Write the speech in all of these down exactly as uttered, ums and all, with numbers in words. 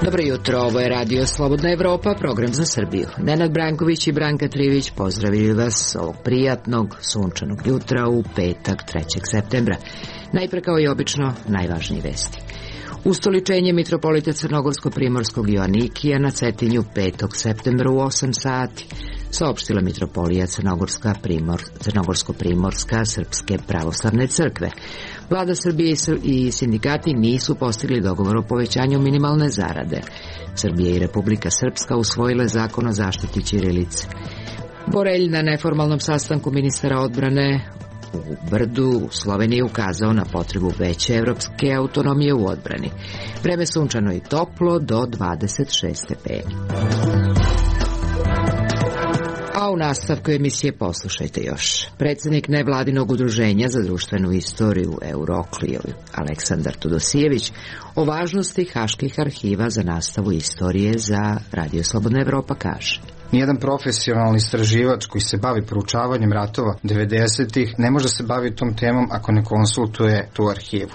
Dobro jutro, ovo je Radio Slobodna Evropa, program za Srbiju. Nenad Branković i Branka Trivić pozdravili vas ovog prijatnog, sunčanog jutra u petak trećeg septembra. Najpre kao i obično, najvažnije vesti. Ustoličenje mitropolita Crnogorsko-Primorskog Joanikija na Cetinju petog septembra u osam sati, saopštila mitropolija Crnogorska Primor, Crnogorsko-Primorska Srpske pravoslavne crkve. Vlada Srbije i sindikati nisu postigli dogovor o povećanju minimalne zarade. Srbija i Republika Srpska usvojile zakon o zaštiti ćirilice. Borelj na neformalnom sastanku ministara odbrane u Brdu u Sloveniji ukazao na potrebu veće evropske autonomije u odbrani. Vreme sunčano i toplo do dvadeset šest stepeni. A u nastavku emisije poslušajte još. Predsjednik nevladinog udruženja za društvenu istoriju Eurokliju, Aleksandar Tudosijević, o važnosti haških arhiva za nastavu istorije za Radio Slobodna Evropa kaže: Nijedan profesionalni istraživač koji se bavi proučavanjem ratova devedesetih ne može se baviti tom temom ako ne konsultuje tu arhivu.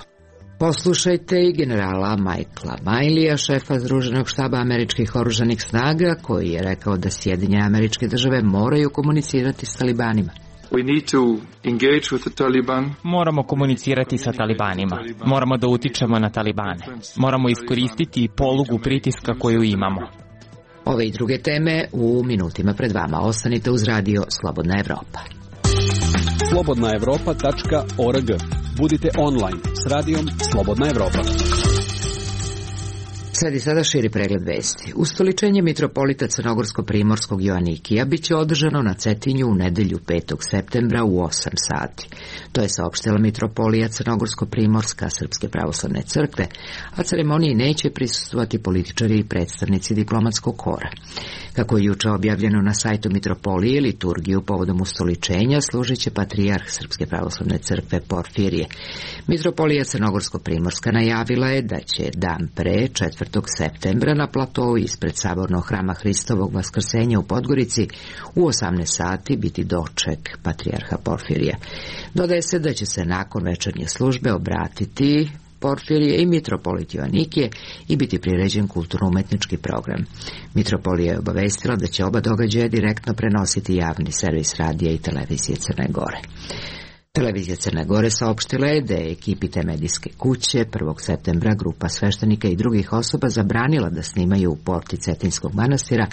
Poslušajte i generala Michaela Mileyja, šefa Združenog štaba američkih oružanih snaga, koji je rekao da Sjedinjene Američke Države moraju komunicirati s talibanima. We need to engage with the Taliban. Moramo komunicirati sa talibanima. Moramo da utičemo na talibane. Moramo iskoristiti polugu pritiska koju imamo. Ove i druge teme u minutima pred vama. Ostanite uz Radio Slobodna Evropa. slobodna evropa tačka org. Budite online s radijom Slobodna Evropa. Sledi sada širi pregled vesti. Ustoličenje mitropolita Crnogorsko-Primorskog Joanikija biće održano na Cetinju u nedelju petog septembra u osam sati. To je saopštila mitropolija Crnogorsko-Primorska Srpske pravoslavne crkve, a ceremoniji neće prisustvovati političari i predstavnici diplomatskog kora. Kako je juče objavljeno na sajtu mitropolije, liturgiju povodom ustoličenja služit će patrijarh Srpske pravoslavne crkve Porfirije. Mitropolija Crnogorsko-Primorska najavila je da će dan pre četvrtog septembra na platovu ispred sabornog hrama Hristovog Vaskrsenja u Podgorici u osamnaest sati biti doček patrijarha Porfirija. Dodaje se da će se nakon večernje službe obratiti Porfirije i mitropolit Joanikije i biti priređen kulturno-umetnički program. Mitropolija je obavestila da će oba događaja direktno prenositi javni servis radija i televizije Crne Gore. Televizija Crne Gore saopštila je da je ekipi te medijske kuće prvog septembra grupa sveštenika i drugih osoba zabranila da snimaju u porti Cetinskog manastira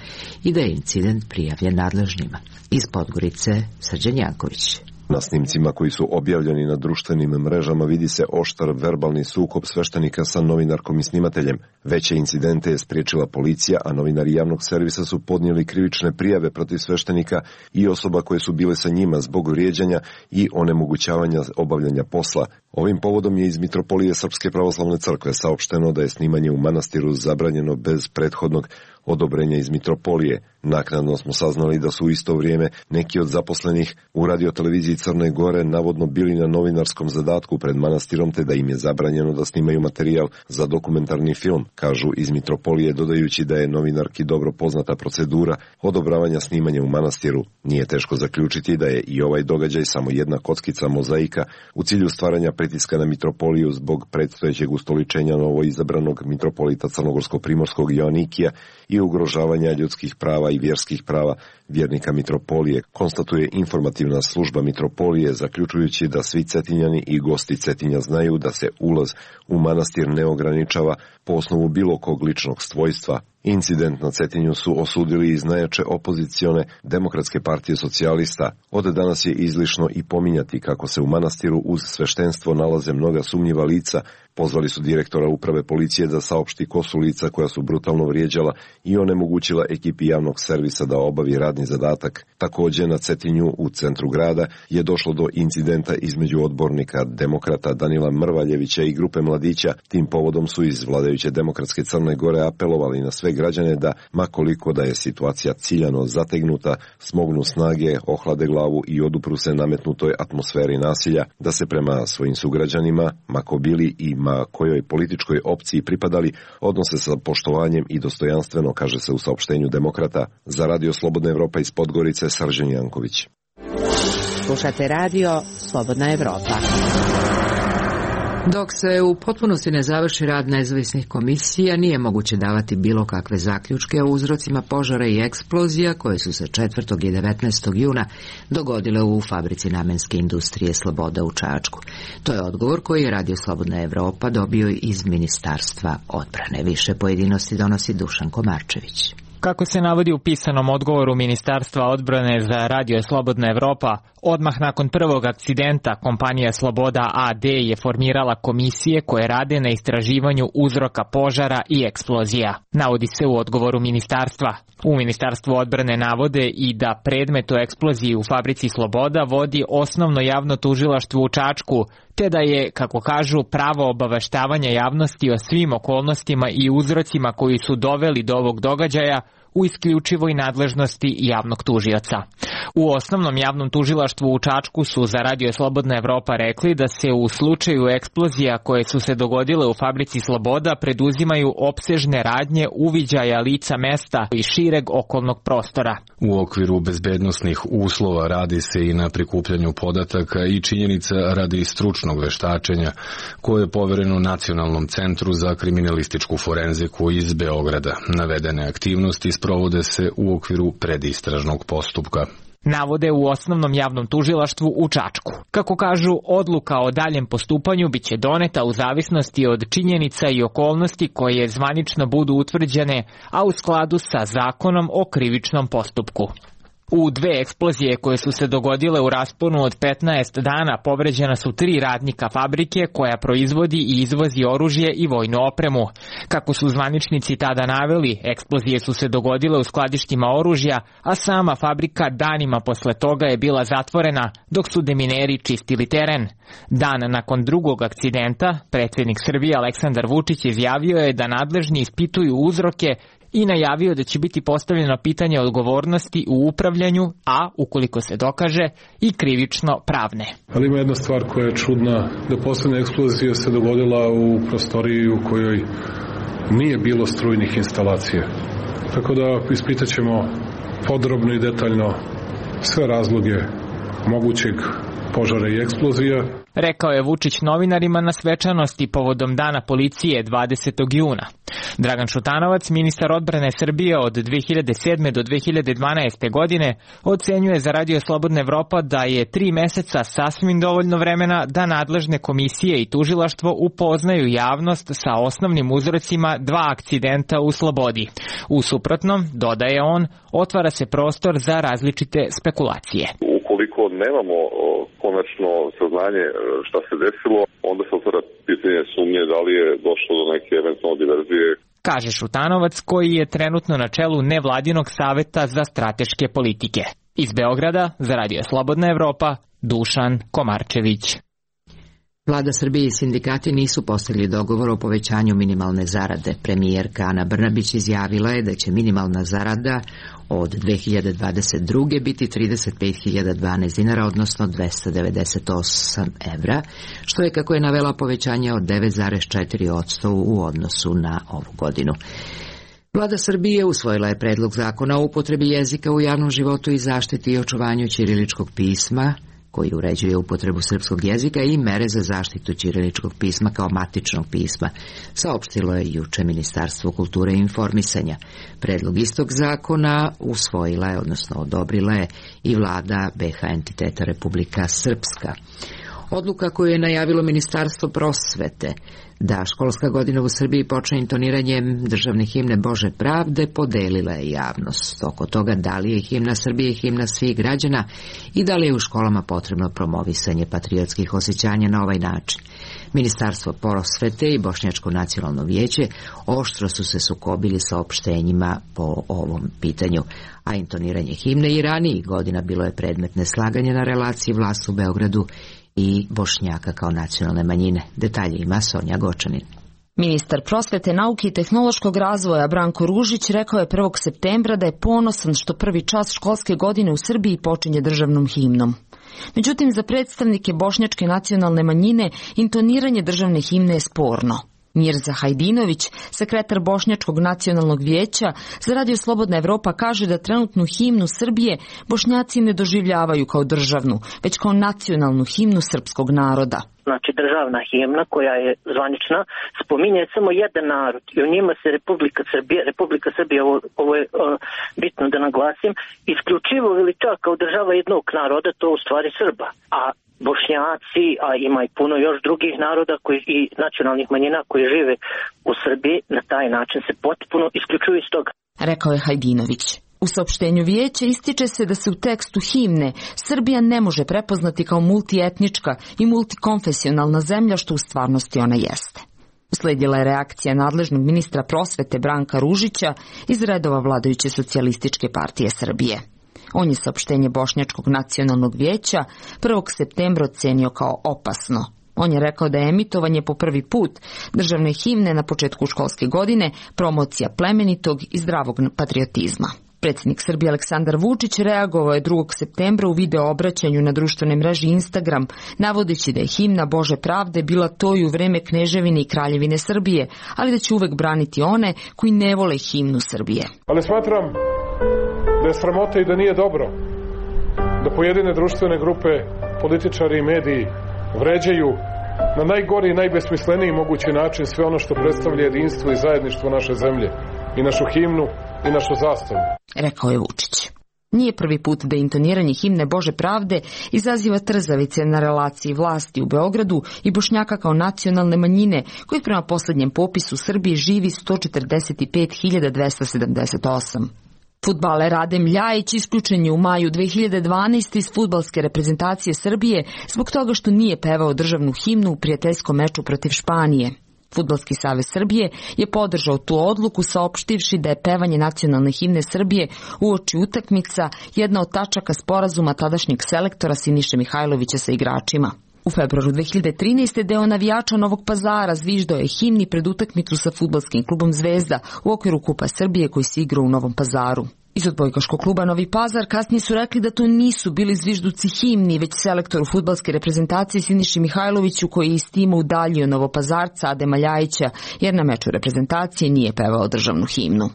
i da je incident prijavljen nadležnima. Iz Podgorice, Srđan Janković. Na snimcima koji su objavljeni na društvenim mrežama vidi se oštar verbalni sukob sveštenika sa novinarkom i snimateljem. Veće incidente je spriječila policija, a novinari javnog servisa su podnijeli krivične prijave protiv sveštenika i osoba koje su bile sa njima zbog vrijeđanja i onemogućavanja obavljanja posla. Ovim povodom je iz mitropolije Srpske pravoslavne crkve saopšteno da je snimanje u manastiru zabranjeno bez prethodnog odobrenja iz mitropolije. Naknadno smo saznali da su u isto vrijeme neki od zaposlenih u radioteleviziji Crne Gore navodno bili na novinarskom zadatku pred manastirom, te da im je zabranjeno da snimaju materijal za dokumentarni film, kažu iz mitropolije, dodajući da je novinarki dobro poznata procedura odobravanja snimanja u manastiru. Nije teško zaključiti da je i ovaj događaj samo jedna kockica mozaika u cilju stvaranja pritiska na mitropoliju zbog predstojećeg ustoličenja novo izabranog mitropolita Crnogorsko-Primorskog Joanikija i ugrožavanja ljudskih prava i vjerskih prava vjernika mitropolije, konstatuje informativna služba mitropolije, zaključujući da svi Cetinjani i gosti Cetinja znaju da se ulaz u manastir ne ograničava po osnovu bilo kog ličnog svojstva. Incident na Cetinju su osudili iz najjače opozicione Demokratske partije socijalista. Od danas je izlišno i pominjati kako se u manastiru uz sveštenstvo nalaze mnoga sumnjiva lica. Pozvali su direktora uprave policije da saopšti ko su lica koja su brutalno vrijeđala i onemogućila ekipi javnog servisa da obavi radni zadatak. Također na Cetinju u centru grada je došlo do incidenta između odbornika demokrata Danila Mrvaljevića i grupe mladića. Tim povodom su iz vladajuće Demokratske Crne Gore apelovali na sve građane da, makoliko da je situacija ciljano zategnuta, smognu snage, ohlade glavu i odupru se nametnutoj atmosferi nasilja, da se prema svojim sugrađanima, mako bili i ma kojoj političkoj opciji pripadali, odnose sa poštovanjem i dostojanstveno, kaže se u saopštenju Demokrata. Za Radio Slobodna Evropa iz Podgorice, Srđan Janković. Slušate radio Slobodna Evropa. Dok se u potpunosti ne završi rad nezavisnih komisija, nije moguće davati bilo kakve zaključke o uzrocima požara i eksplozija koje su se četvrtog i devetnaestog juna dogodile u fabrici namenske industrije Sloboda u Čačku. To je odgovor koji je Radio Slobodna Evropa dobio iz Ministarstva odbrane. Više pojedinosti donosi Dušan Komarčević. Kako se navodi u pisanom odgovoru Ministarstva odbrane za Radio Slobodna Evropa, odmah nakon prvog akcidenta kompanija Sloboda A D je formirala komisije koje rade na istraživanju uzroka požara i eksplozija. Navodi se u odgovoru ministarstva. U Ministarstvu odbrane navode i da predmet o eksploziji u fabrici Sloboda vodi osnovno javno tužilaštvo u Čačku, te da je, kako kažu, pravo obaveštavanja javnosti o svim okolnostima i uzrocima koji su doveli do ovog događaja u isključivoj nadležnosti javnog tužioca. U osnovnom javnom tužilaštvu u Čačku su za Radio Slobodna Evropa rekli da se u slučaju eksplozija koje su se dogodile u fabrici Sloboda preduzimaju opsežne radnje uviđaja lica mesta i šireg okolnog prostora. U okviru bezbednosnih uslova radi se i na prikupljanju podataka i činjenica radi stručnog veštačenja koje je povereno Nacionalnom centru za kriminalističku forenziku iz Beograda. Navedene aktivnosti sprovode se u okviru predistražnog postupka. Navode u osnovnom javnom tužilaštvu u Čačku. Kako kažu, odluka o daljem postupanju biće doneta u zavisnosti od činjenica i okolnosti koje zvanično budu utvrđene, a u skladu sa zakonom o krivičnom postupku. U dve eksplozije koje su se dogodile u rasponu od petnaest dana povređena su tri radnika fabrike koja proizvodi i izvozi oružje i vojnu opremu. Kako su zvaničnici tada naveli, eksplozije su se dogodile u skladištima oružja, a sama fabrika danima posle toga je bila zatvorena dok su demineri čistili teren. Dan nakon drugog akcidenta, predsjednik Srbije Aleksandar Vučić izjavio je da nadležni ispituju uzroke i najavio da će biti postavljeno pitanje odgovornosti u upravljanju, a, ukoliko se dokaže, i krivično pravne. Ali ima jedna stvar koja je čudna, da poslednja eksplozija se dogodila u prostoriji u kojoj nije bilo strujnih instalacija. Tako da ispitat ćemo podrobno i detaljno sve razloge mogućeg požara i eksplozija. Rekao je Vučić novinarima na svečanosti povodom Dana policije dvadesetog juna. Dragan Šutanovac, ministar odbrane Srbije od dve hiljade sedme do dve hiljade dvanaeste. godine, ocenjuje za Radio Slobodna Evropa da je tri meseca sasvim dovoljno vremena da nadležne komisije i tužilaštvo upoznaju javnost sa osnovnim uzrocima dva akcidenta u Slobodi. U suprotnom, dodaje on, otvara se prostor za različite spekulacije. Ukoliko nemamo konačno saznanje šta se desilo, onda se otvara pitanje sumnje da li je došlo do neke eventualne diverzije. Kaže Šutanovac, koji je trenutno na čelu nevladinog saveta za strateške politike. Iz Beograda, za Radio Slobodna Evropa, Dušan Komarčević. Vlada Srbije i sindikati nisu postigli dogovor o povećanju minimalne zarade. Premijerka Ana Brnabić izjavila je da će minimalna zarada od dve hiljade dvadeset druge. biti trideset pet hiljada dvanaest dinara, odnosno dvesta devedeset osam evra, što je, kako je navela, povećanje od devet zarez četiri posto u odnosu na ovu godinu. Vlada Srbije usvojila je predlog zakona o upotrebi jezika u javnom životu i zaštiti i očuvanju ćiriličkog pisma, koji uređuje upotrebu srpskog jezika i mere za zaštitu ćiriličkog pisma kao matičnog pisma, saopštilo je juče Ministarstvo kulture i informisanja. Predlog istog zakona usvojila je, odnosno odobrila je, i vlada be ha entiteta Republika Srpska. Odluka koju je najavilo Ministarstvo prosvete da školska godina u Srbiji počne intoniranjem državne himne Bože pravde podelila je javnost oko toga da li je himna Srbije himna svih građana i da li je u školama potrebno promovisanje patriotskih osjećanja na ovaj način. Ministarstvo prosvete i Bošnjačko nacionalno vijeće oštro su se sukobili sa opštenjima po ovom pitanju, a intoniranje himne i ranijih godina bilo je predmet neslaganja na relaciji vlast u Beogradu i Bošnjaka kao nacionalne manjine. Detalje ima Sonja Gočanin. Ministar prosvete, nauke i tehnološkog razvoja Branko Ružić rekao je prvog septembra da je ponosan što prvi čas školske godine u Srbiji počinje državnom himnom. Međutim, za predstavnike bošnjačke nacionalne manjine intoniranje državne himne je sporno. Mirza Hajdinović, sekretar Bošnjačkog nacionalnog vijeća, za Radio Slobodna Evropa kaže da trenutnu himnu Srbije Bošnjaci ne doživljavaju kao državnu, već kao nacionalnu himnu srpskog naroda. Znači državna himna koja je zvanična spominje samo jedan narod i o njima se Republika Srbija, Republika Srbija, ovo, ovo je uh, bitno da naglasim, isključivo veliča kao država jednog naroda, to u stvari Srba. A Bošnjaci, a ima i puno još drugih naroda koji, i nacionalnih manjina koji žive u Srbiji, na taj način se potpuno isključuju iz toga. Rekao je Hajdinović. U saopštenju vijeća ističe se da se u tekstu himne Srbija ne može prepoznati kao multietnička i multikonfesionalna zemlja, što u stvarnosti ona jeste. Usledila je reakcija nadležnog ministra prosvete Branka Ružića iz redova vladajuće socijalističke partije Srbije. On je saopštenje Bošnjačkog nacionalnog vijeća prvog septembra ocenio kao opasno. On je rekao da je emitovanje po prvi put državne himne na početku školske godine promocija plemenitog i zdravog patriotizma. Predsjednik Srbije Aleksandar Vučić reagovao je drugog septembra u video obraćanju na društvenoj mreži Instagram, navodeći da je himna Bože pravde bila to i u vreme Kneževine i Kraljevine Srbije, ali da će uvek braniti one koji ne vole himnu Srbije. Ali smatram da je sramota i da nije dobro da pojedine društvene grupe, političari i mediji vređaju na najgori i najbesmisleniji mogući način sve ono što predstavlja jedinstvo i zajedništvo naše zemlje i našu himnu i našu zastavu. Rekao je Vučić. Nije prvi put da intoniranje himne Bože pravde izaziva trzavice na relaciji vlasti u Beogradu i Bošnjaka kao nacionalne manjine, kojih prema posljednjem popisu u Srbiji živi sto četrdeset pet hiljada dvesta sedamdeset osam. Fudbaler Adem Ljajić isključen je u maju dve hiljade dvanaeste iz fudbalske reprezentacije Srbije zbog toga što nije pevao državnu himnu u prijateljskom meču protiv Španije. Fudbalski savez Srbije je podržao tu odluku saopštivši da je pevanje nacionalne himne Srbije uoči utakmica jedna od tačaka sporazuma tadašnjeg selektora Siniše Mihajlovića sa igračima. U februaru dve hiljade trinaeste. deo navijača Novog Pazara zviždao je himni pred utakmicu sa fudbalskim klubom Zvezda u okviru Kupa Srbije koji se igrao u Novom Pazaru. Iz odbojkaškog kluba Novi Pazar kasnije su rekli da to nisu bili zvižduci himni, već selektoru fudbalske reprezentacije Siniši Mihajloviću koji je iz tima udaljio Novopazarca Adema Ljajića jer na meču reprezentacije nije pevao državnu himnu.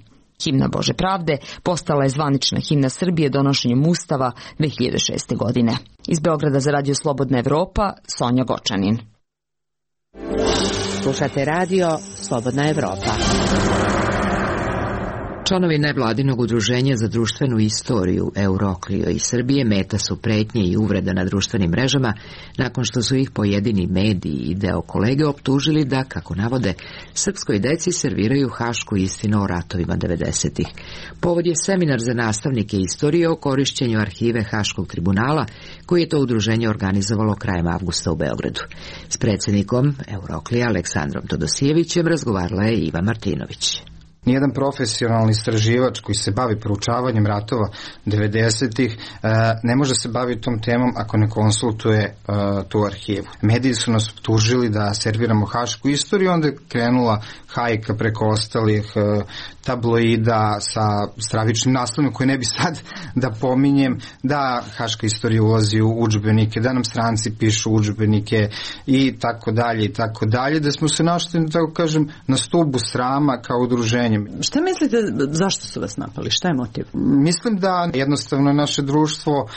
Himna Bože pravde postala je zvanična himna Srbije donošenjem Ustava dve hiljade šeste. godine. Iz Beograda za Radio Slobodna Evropa, Sonja Gočanin. Slušate Radio Slobodna Evropa. Članovi nevladinog udruženja za društvenu istoriju Euroklio iz Srbije meta su pretnje i uvreda na društvenim mrežama nakon što su ih pojedini mediji i deo kolege optužili da, kako navode, srpskoj deci serviraju hašku istinu o ratovima devedesetih. Povod je seminar za nastavnike istorije o korišćenju arhive Haškog tribunala koji je to udruženje organizovalo krajem avgusta u Beogradu. S predsjednikom Euroklija Aleksandrom Todosijevićem razgovarala je Iva Martinović. Nijedan profesionalni istraživač koji se bavi proučavanjem ratova devedesetih ne može se baviti tom temom ako ne konsultuje tu arhivu. Mediji su nas optužili da serviramo hašku istoriju, onda je krenula hajka preko ostalih tabloida sa stravičnim naslovima koje ne bi sad da pominjem, da haška istorija ulazi u udžbenike, da nam stranci pišu udžbenike i tako dalje i tako dalje, da smo se našli, tako kažem, na stubu srama kao udruženje. Šta mislite, zašto su vas napali? Šta je motiv? Mislim da jednostavno naše društvo uh,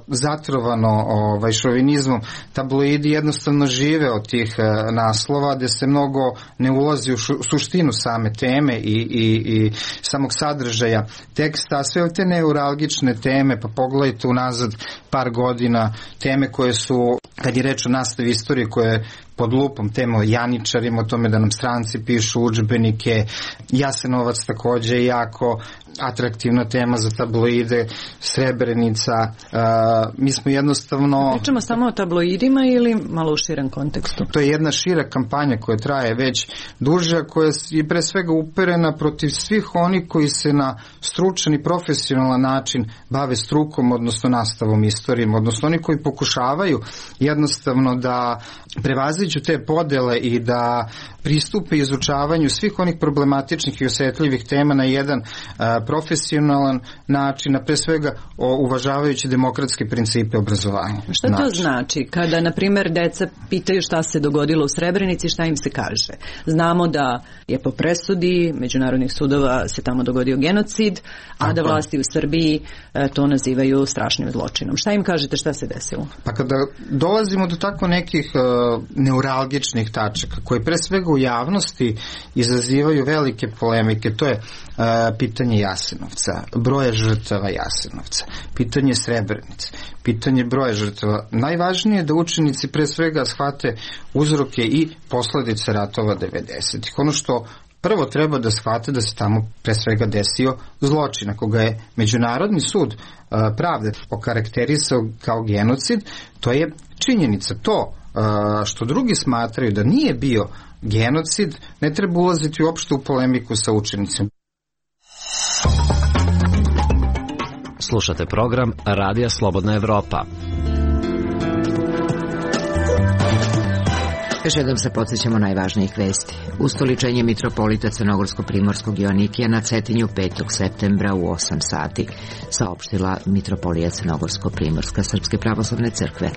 zatrovano ovaj, šovinizmom. Tabloidi jednostavno žive od tih uh, naslova gde se mnogo ne ulazi u šu, suštinu same teme i, i, i samog sadržaja teksta, a sve te neuralgične teme, pa pogledajte unazad par godina, teme koje su, kad je reč o nastavi istorije, koje pod lupom temo Janičarima, o tome da nam stranci pišu udžbenike, Jasenovac takođe jako atraktivna tema za tabloide, Srebrenica, uh, mi smo jednostavno... Pričamo samo o tabloidima ili malo u širem kontekstu? To je jedna šira kampanja koja traje već duže, koja je pre svega uperena protiv svih onih koji se na stručan i profesionalan način bave strukom, odnosno nastavom istorijom, odnosno oni koji pokušavaju jednostavno da prevaziđu te podele i da pristupe izučavanju svih onih problematičnih i osetljivih tema na jedan a, profesionalan način, a pre svega o, uvažavajući demokratske principe obrazovanja. Šta to način. Znači? Kada, na primjer, deca pitaju šta se dogodilo u Srebrenici, šta im se kaže? Znamo da je po presudi međunarodnih sudova se tamo dogodio genocid, a Tako. da vlasti u Srbiji e, to nazivaju strašnim zločinom. Šta im kažete, šta se desilo? Pa kada dolazimo do tako nekih e, neuralgičnih tačaka, koje pre svega u javnosti izazivaju velike polemike, to je e, pitanje Jasenovca, broja žrtava Jasenovca, pitanje Srebrenice, pitanje broja žrtava. Najvažnije je da učenici pre svega shvate uzroke i posledice ratova devedesetih. Ono što prvo treba da shvate da se tamo pre svega desio zločin. Ako ga je Međunarodni sud uh, pravde okarakterisao kao genocid, to je činjenica. To uh, što drugi smatraju da nije bio genocid, ne treba ulaziti uopšte u polemiku sa učenicima. Slušate program Radija Slobodna Evropa. Još jednom se podsjećamo najvažnijih vesti. Ustoličenje mitropolita Crnogorsko-primorskog Joanikija na Cetinju petog septembra u osam sati, saopštila mitropolija Crnogorsko-primorska Srpske pravoslavne crkve.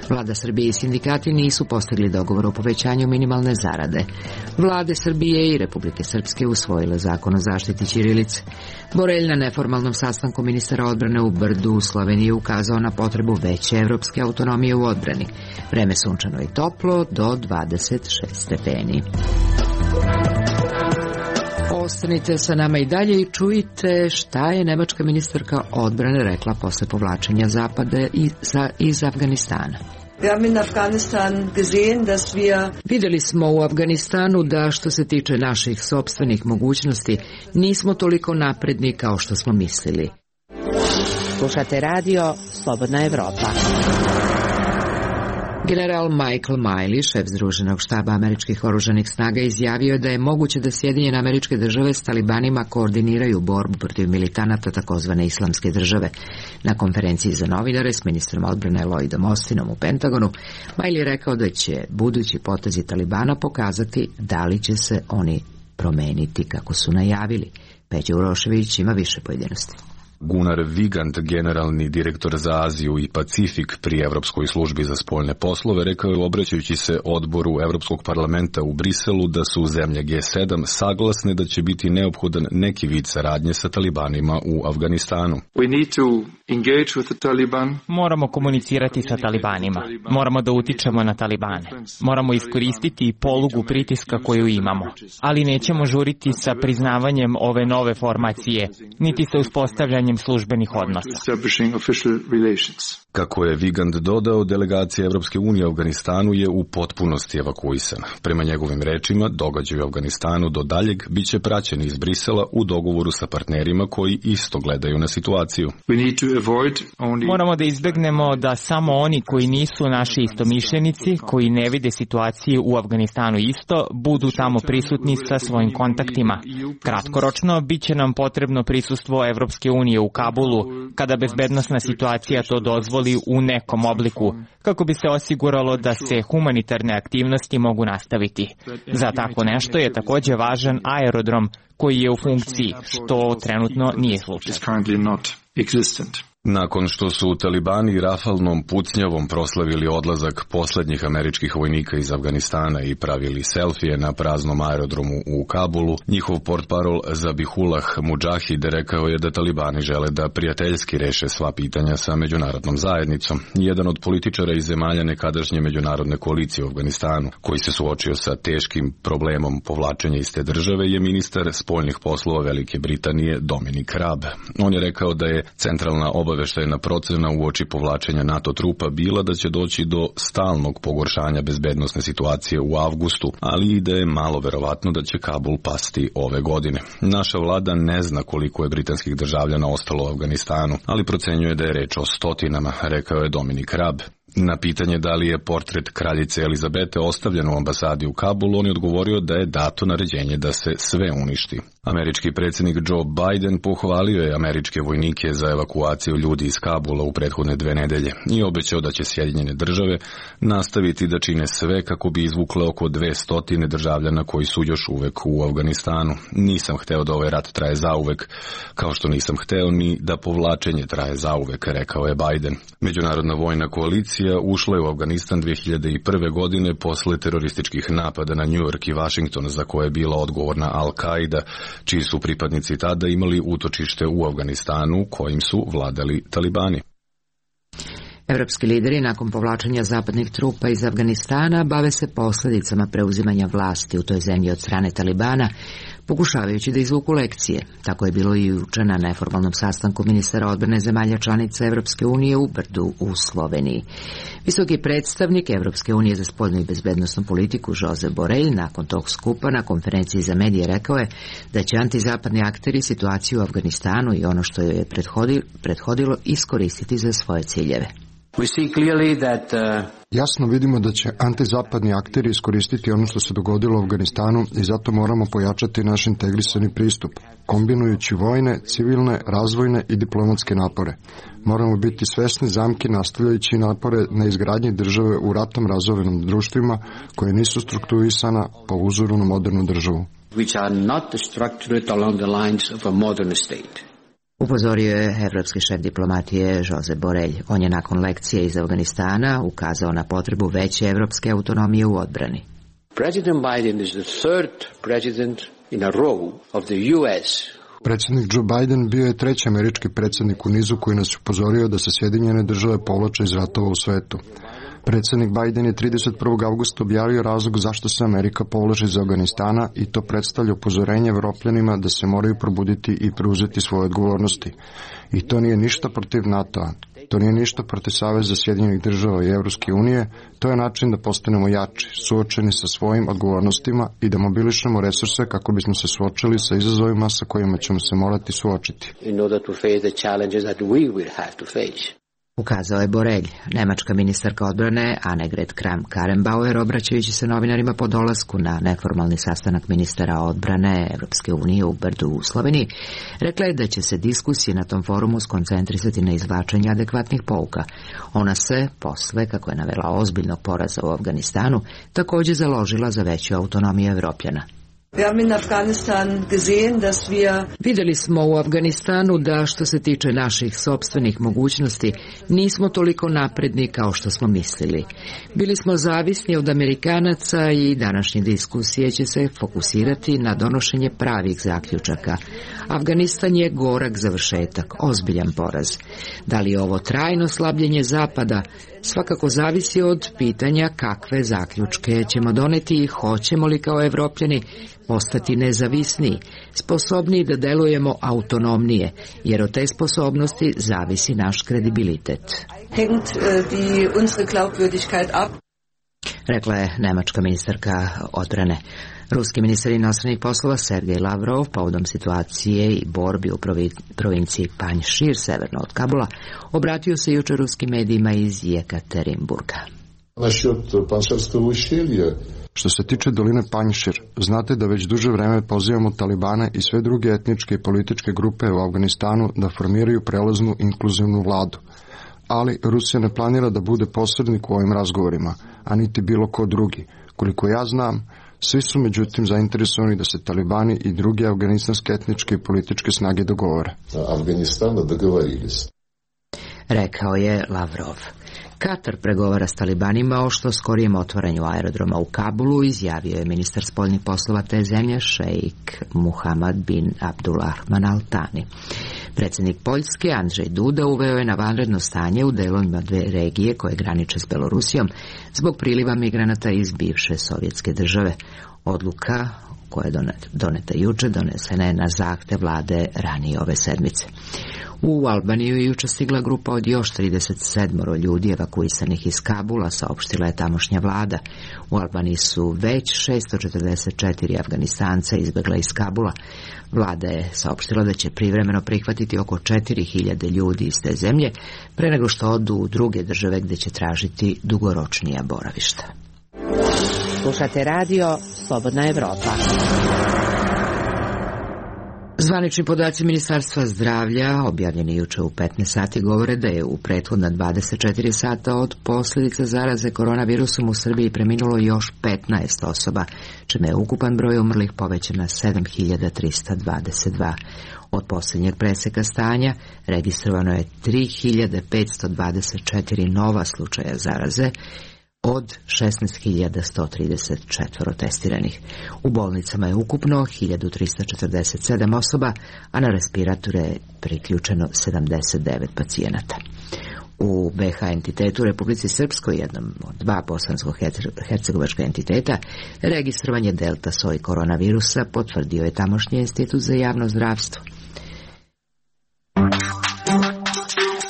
Vlada Srbije i sindikati nisu postigli dogovor o povećanju minimalne zarade. Vlade Srbije i Republike Srpske usvojile zakon o zaštiti ćirilice. Borelj na neformalnom sastanku ministara odbrane u Brdu u Sloveniji ukazao na potrebu veće evropske autonomije u odbrani. Vreme sunčano i toplo do dvadeset šest stepeni. Ostanite sa nama i dalje i čujte šta je nemačka ministarka odbrane rekla posle povlačenja Zapada iz Afganistana. Vidjeli smo u Afganistanu da što se tiče naših sopstvenih mogućnosti nismo toliko napredni kao što smo mislili. Slušate radio Slobodna Evropa. General Michael Miley, šef Združenog štaba američkih oružanih snaga, izjavio je da je moguće da Sjedinjene Američke Države s talibanima koordiniraju borbu protiv militanata takozvane islamske države. Na konferenciji za novinare s ministrom odbrane Lloydom Austinom u Pentagonu, Miley je rekao da će budući potezi talibana pokazati da li će se oni promeniti kako su najavili. Peđa Urošević ima više pojedinosti. Gunnar Vigand, generalni direktor za Aziju i Pacifik pri Evropskoj službi za spoljne poslove, rekao je obraćajući se odboru Evropskog parlamenta u Briselu da su zemlje G sedam saglasne da će biti neophodan neki vid saradnje sa talibanima u Afganistanu. We need to engage with the Taliban. Moramo komunicirati sa talibanima. Moramo da utičemo na talibane. Moramo iskoristiti polugu pritiska koju imamo. Ali nećemo žuriti sa priznavanjem ove nove formacije, niti sa uspostavljanjem službenih odnosa. Kako je Vigand dodao, delegacija Evropske unije u Afganistanu je u potpunosti evakuisana. Prema njegovim rečima, događaj u Afganistanu do daljeg biće praćeni iz Brisela u dogovoru sa partnerima koji isto gledaju na situaciju. Moramo da izbegnemo da samo oni koji nisu naši istomišljenici, koji ne vide situaciju u Afganistanu isto, budu tamo prisutni sa svojim kontaktima. Kratkoročno, bit će nam potrebno prisustvo Evropske unije u Kabulu, kada bezbednosna situacija to dozvoli u nekom obliku, kako bi se osiguralo da se humanitarne aktivnosti mogu nastaviti. Za tako nešto je također važan aerodrom koji je u funkciji, što trenutno nije slučaj. Nakon što su talibani rafalnom pucnjavom proslavili odlazak poslednjih američkih vojnika iz Afganistana i pravili selfije na praznom aerodromu u Kabulu, njihov portparol Zabihullah Mudžahid rekao je da talibani žele da prijateljski reše sva pitanja sa međunarodnom zajednicom. Jedan od političara iz zemalja nekadašnje međunarodne koalicije u Afganistanu, koji se suočio sa teškim problemom povlačenja iz te države, je ministar spoljnih poslova Velike Britanije Dominic Raab. On je rekao da je centralna obaveza obaveštajna procena uoči povlačenja NATO trupa bila da će doći do stalnog pogoršanja bezbednosne situacije u avgustu, ali i da je malo verovatno da će Kabul pasti ove godine. Naša vlada ne zna koliko je britanskih državljana ostalo u Afganistanu, ali procenjuje da je reč o stotinama, rekao je Dominik Raab. Na pitanje da li je portret kraljice Elizabete ostavljen u ambasadi u Kabulu, on je odgovorio da je dato naređenje da se sve uništi. Američki predsjednik Joe Biden pohvalio je američke vojnike za evakuaciju ljudi iz Kabula u prethodne dve nedelje i obećao da će Sjedinjene države nastaviti da čine sve kako bi izvukle oko dve stotine državljana koji su još uvek u Afganistanu. Nisam hteo da ovaj rat traje zauvek, kao što nisam hteo ni da povlačenje traje zauvek, rekao je Biden. Međunarodna vojna koalicija ušla je u Afganistan dve hiljade prve. godine posle terorističkih napada na New York i Washington, za koje je bila odgovorna Al-Qaida, čiji su pripadnici tada imali utočište u Afganistanu, kojim su vladali talibani. Evropski lideri nakon povlačenja zapadnih trupa iz Afganistana bave se posljedicama preuzimanja vlasti u toj zemlji od strane talibana, pokušavajući da izvuku lekcije. Tako je bilo i juče na neformalnom sastanku ministara odbrane zemalja članica Evropske unije u Brdu u Sloveniji. Visoki predstavnik Evropske unije za spoljnu i bezbednosnu politiku Josep Borrell nakon tog skupa na konferenciji za medije rekao je da će antizapadni akteri situaciju u Afganistanu i ono što joj je prethodilo iskoristiti za svoje ciljeve. Jasno vidimo da će antizapadni akteri iskoristiti ono što se dogodilo u Afganistanu i zato moramo pojačati naš integrisani pristup, kombinujući vojne, civilne, razvojne i diplomatske napore. Moramo biti svesni zamki nastavljajući napore na izgradnji države u ratom razorenim društvima koje nisu strukturisana po uzoru na modernu državu. Upozorio je evropski šef diplomatije Josep Borrell. On je nakon lekcije iz Afganistana ukazao na potrebu veće evropske autonomije u odbrani. President Biden is the third president in a row of the U S. Predsjednik Joe Biden bio je treći američki predsjednik u nizu koji nas upozorio da se Sjedinjene države povlače iz ratova u svetu. Predsjednik Biden je trideset prvog avgusta objavio razlog zašto se Amerika povlači iz Afganistana i to predstavlja upozorenje Evropljanima da se moraju probuditi i preuzeti svoje odgovornosti. I to nije ništa protiv NATO-a, to nije ništa protiv Saveza Sjedinjenih država i Evropske unije, to je način da postanemo jači, suočeni sa svojim odgovornostima i da mobilišemo resurse kako bismo se suočili sa izazovima sa kojima ćemo se morati suočiti. In order to face the challenges that we will have to face. Ukazao je Borrell. Nemačka ministarka odbrane Annegret Kramp-Karrenbauer, obraćajući se novinarima po dolasku na neformalni sastanak ministara odbrane Evropske unije u Brdu u Sloveniji, rekla je da će se diskusije na tom forumu skoncentrisati na izvlačenje adekvatnih pouka. Ona se, posle, kako je navela, ozbiljnog poraza u Afganistanu, također založila za veću autonomiju Evropljana. Vidjeli smo u Afganistanu da što se tiče naših sopstvenih mogućnosti nismo toliko napredni kao što smo mislili. Bili smo zavisni od Amerikanaca i današnje diskusije će se fokusirati na donošenje pravih zaključaka. Afganistan je gorak završetak, ozbiljan poraz. Da li je ovo trajno slabljenje Zapada? Svakako zavisi od pitanja kakve zaključke ćemo doneti i hoćemo li kao Evropljani postati nezavisniji, sposobniji da delujemo autonomnije, jer od te sposobnosti zavisi naš kredibilitet. Rekla je nemačka ministarka odbrane. Ruski ministar inostranih poslova Sergej Lavrov povodom situacije i borbi u provinciji Panjšir severno od Kabula obratio se jučer ruskim medijima iz Jekaterinburga. Što se tiče doline Panjšir, znate da već duže vreme pozivamo Talibane i sve druge etničke i političke grupe u Afganistanu da formiraju prelaznu inkluzivnu vladu. Ali Rusija ne planira da bude posrednik u ovim razgovorima, a niti bilo ko drugi. Koliko ja znam, svi su međutim zainteresovani da se Talibani i druge afganistanske etničke i političke snage dogovore. Afganistana dogovorili se. Rekao je Lavrov. Katar pregovara s Talibanima o što skorijem otvaranju aerodroma u Kabulu, izjavio je ministar spoljnih poslova te zemlje šejk Muhammad bin Abdulrahman Al Thani. Predsjednik Poljske Andrzej Duda uveo je na vanredno stanje u delovima dve regije koje graniče s Belorusijom zbog priliva migranata iz bivše sovjetske države. Odluka koja je doneta juče, donesena je na zahtev vlade ranije ove sedmice. U Albaniju je juče stigla grupa od još trideset sedam ljudi evakuisanih iz Kabula, saopštila je tamošnja vlada. U Albaniji su već šesto četrdeset četiri Afganistanca izbegla iz Kabula. Vlada je saopštila da će privremeno prihvatiti oko četiri hiljade ljudi iz te zemlje, pre nego što odu u druge države gde će tražiti dugoročnija boravišta. Slušate radio Slobodna Evropa. Zvanični podaci Ministarstva zdravlja, objavljeni juče u petnaest sati, govore da je u prethodna dvadeset četiri sata od posljedica zaraze koronavirusom u Srbiji preminulo još petnaest osoba, čime je ukupan broj umrlih povećan na sedam hiljada trista dvadeset dva. Od posljednjeg preseka stanja registrovano je tri hiljade petsto dvadeset četiri nova slučaja zaraze, od šesnaest hiljada sto trideset četiri testiranih. U bolnicama je ukupno hiljadu trista četrdeset sedam osoba, a na respiratore je priključeno sedamdeset devet pacijenata. U be ha entitetu u Republici Srpskoj, jednom od dva bosansko-hercegovačka entiteta, registrovan je delta soj koronavirusa, potvrdio je tamošnji institut za javno zdravstvo.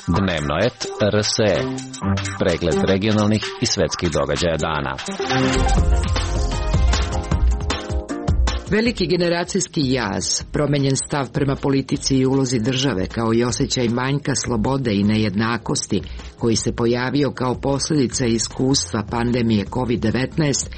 Dnevno et er es e. Pregled regionalnih i svetskih događaja dana. Veliki generacijski jaz, promenjen stav prema politici i ulozi države, kao i osjećaj manjka slobode i nejednakosti, koji se pojavio kao posljedica iskustva pandemije kovid devetnaest,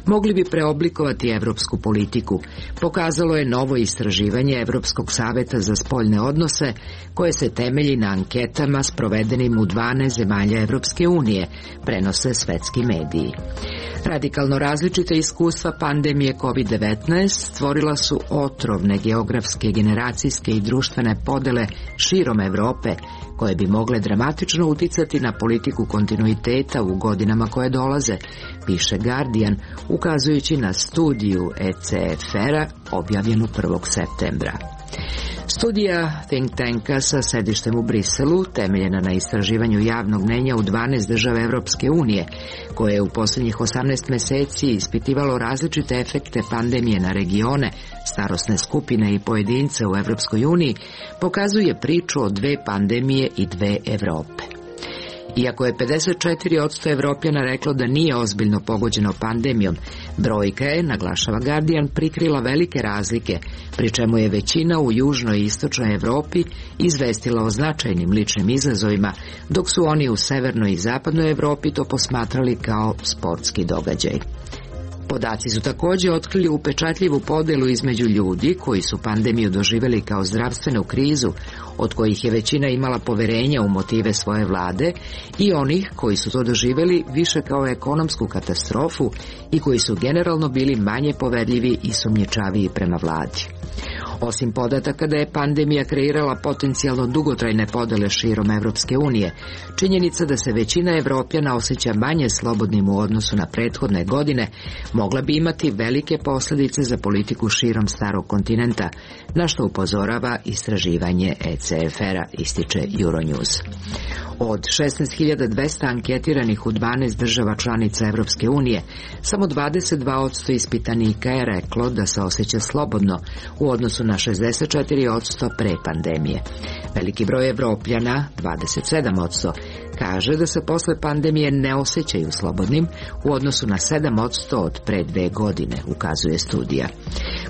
mogli bi preoblikovati evropsku politiku, pokazalo je novo istraživanje Evropskog saveta za spoljne odnose, koje se temelji na anketama sprovedenim u dvanaest zemalja Evropske unije, prenose svetski mediji. Radikalno različite iskustva pandemije kovid devetnaest stvorila su otrovne geografske, generacijske i društvene podele širom Evrope, koje bi mogle dramatično uticati na politiku kontinuiteta u godinama koje dolaze, piše Guardian, ukazujući na studiju e ce ef er-a objavljenu prvog septembra. Studija think tanka sa sedištem u Briselu, temeljena na istraživanju javnog mnjenja u dvanaest država Evropske unije, koje je u posljednjih osamnaest meseci ispitivalo različite efekte pandemije na regione, starosne skupine i pojedince u Evropskoj uniji, pokazuje priču o dve pandemije i dve Evrope. Iako je pedeset četiri posto Evropljana reklo da nije ozbiljno pogođeno pandemijom, brojka je, naglašava Guardian, prikrila velike razlike, pri čemu je većina u južnoj i istočnoj Evropi izvestila o značajnim ličnim izazovima, dok su oni u severnoj i zapadnoj Evropi to posmatrali kao sportski događaj. Podaci su također otkrili upečatljivu podelu između ljudi koji su pandemiju doživjeli kao zdravstvenu krizu, od kojih je većina imala poverenja u motive svoje vlade, i onih koji su to doživjeli više kao ekonomsku katastrofu i koji su generalno bili manje poverljivi i sumnjičaviji prema vladi. Osim podataka da je pandemija kreirala potencijalno dugotrajne podele širom Evropske unije, činjenica da se većina Evropljana osjeća manje slobodnim u odnosu na prethodne godine mogla bi imati velike posljedice za politiku širom starog kontinenta, na što upozorava istraživanje e ce ef er-a, ističe Euronews. Od šesnaest hiljada dvesta anketiranih u dvanaest država članica Evropske unije, samo dvadeset dva posto ispitanika je reklo da se osjeća slobodno u odnosu na šezdeset četiri posto pre pandemije. Veliki broj Evropljana, dvadeset sedam posto, kaže da se posle pandemije ne osjećaju slobodnim u odnosu na sedam posto od pre dve godine, ukazuje studija.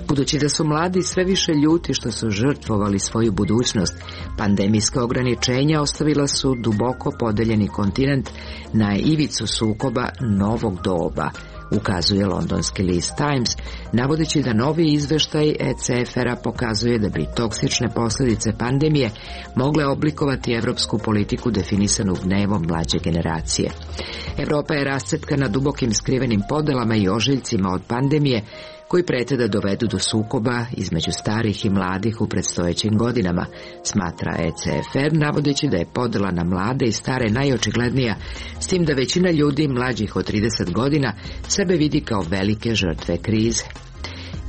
Budući da su mladi sve više ljuti što su žrtvovali svoju budućnost, pandemijska ograničenja ostavila su duboko podeljeni kontinent na ivicu sukoba novog doba, ukazuje londonski list Times, navodeći da novi izveštaj e ce ef er-a pokazuje da bi toksične posljedice pandemije mogle oblikovati evropsku politiku definisanu gnevom mlađe generacije. Evropa je rascepkana dubokim skrivenim podelama i ožiljcima od pandemije, koji prete da dovedu do sukoba između starih i mladih u predstojećim godinama, smatra e ce ef er, navodeći da je podela na mlade i stare najočiglednija, s tim da većina ljudi mlađih od trideset godina sebe vidi kao velike žrtve krize.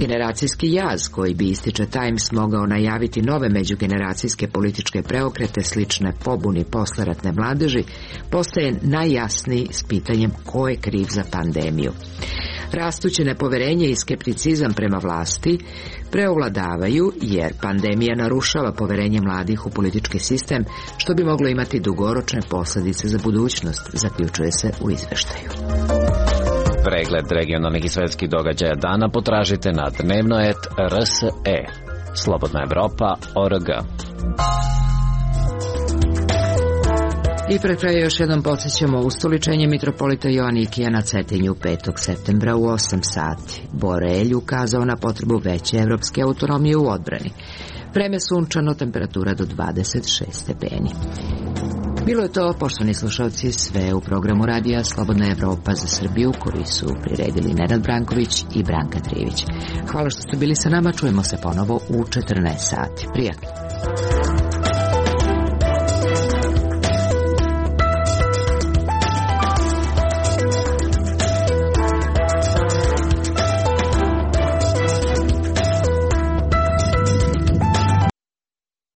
Generacijski jaz koji bi, ističe Times, mogao najaviti nove međugeneracijske političke preokrete slične pobuni posleratne mladeži, postaje najjasniji s pitanjem ko je kriv za pandemiju. Rastuće nepoverenje i skepticizam prema vlasti preovladavaju jer pandemija narušava poverenje mladih u politički sistem, što bi moglo imati dugoročne posljedice za budućnost, zaključuje se u izveštaju. Pregled regionalnih i svetskih događaja dana potražite na dnevno et er es e. Slobodna Evropa tačka org. I pred kraj još jednom podsjećamo ustoličenje mitropolita Joanikija na Cetinju petog septembra u osam sati. Borelj ukazao na potrebu veće evropske autonomije u odbrani. Vreme sunčano, temperatura do dvadeset šest stepeni. Bilo je to, poštovani slušalci, sve u programu radija Slobodna Evropa za Srbiju, koji su priredili Nenad Branković i Branka Trivić. Hvala što ste bili sa nama, čujemo se ponovo u četrnaest sati. Prijatno.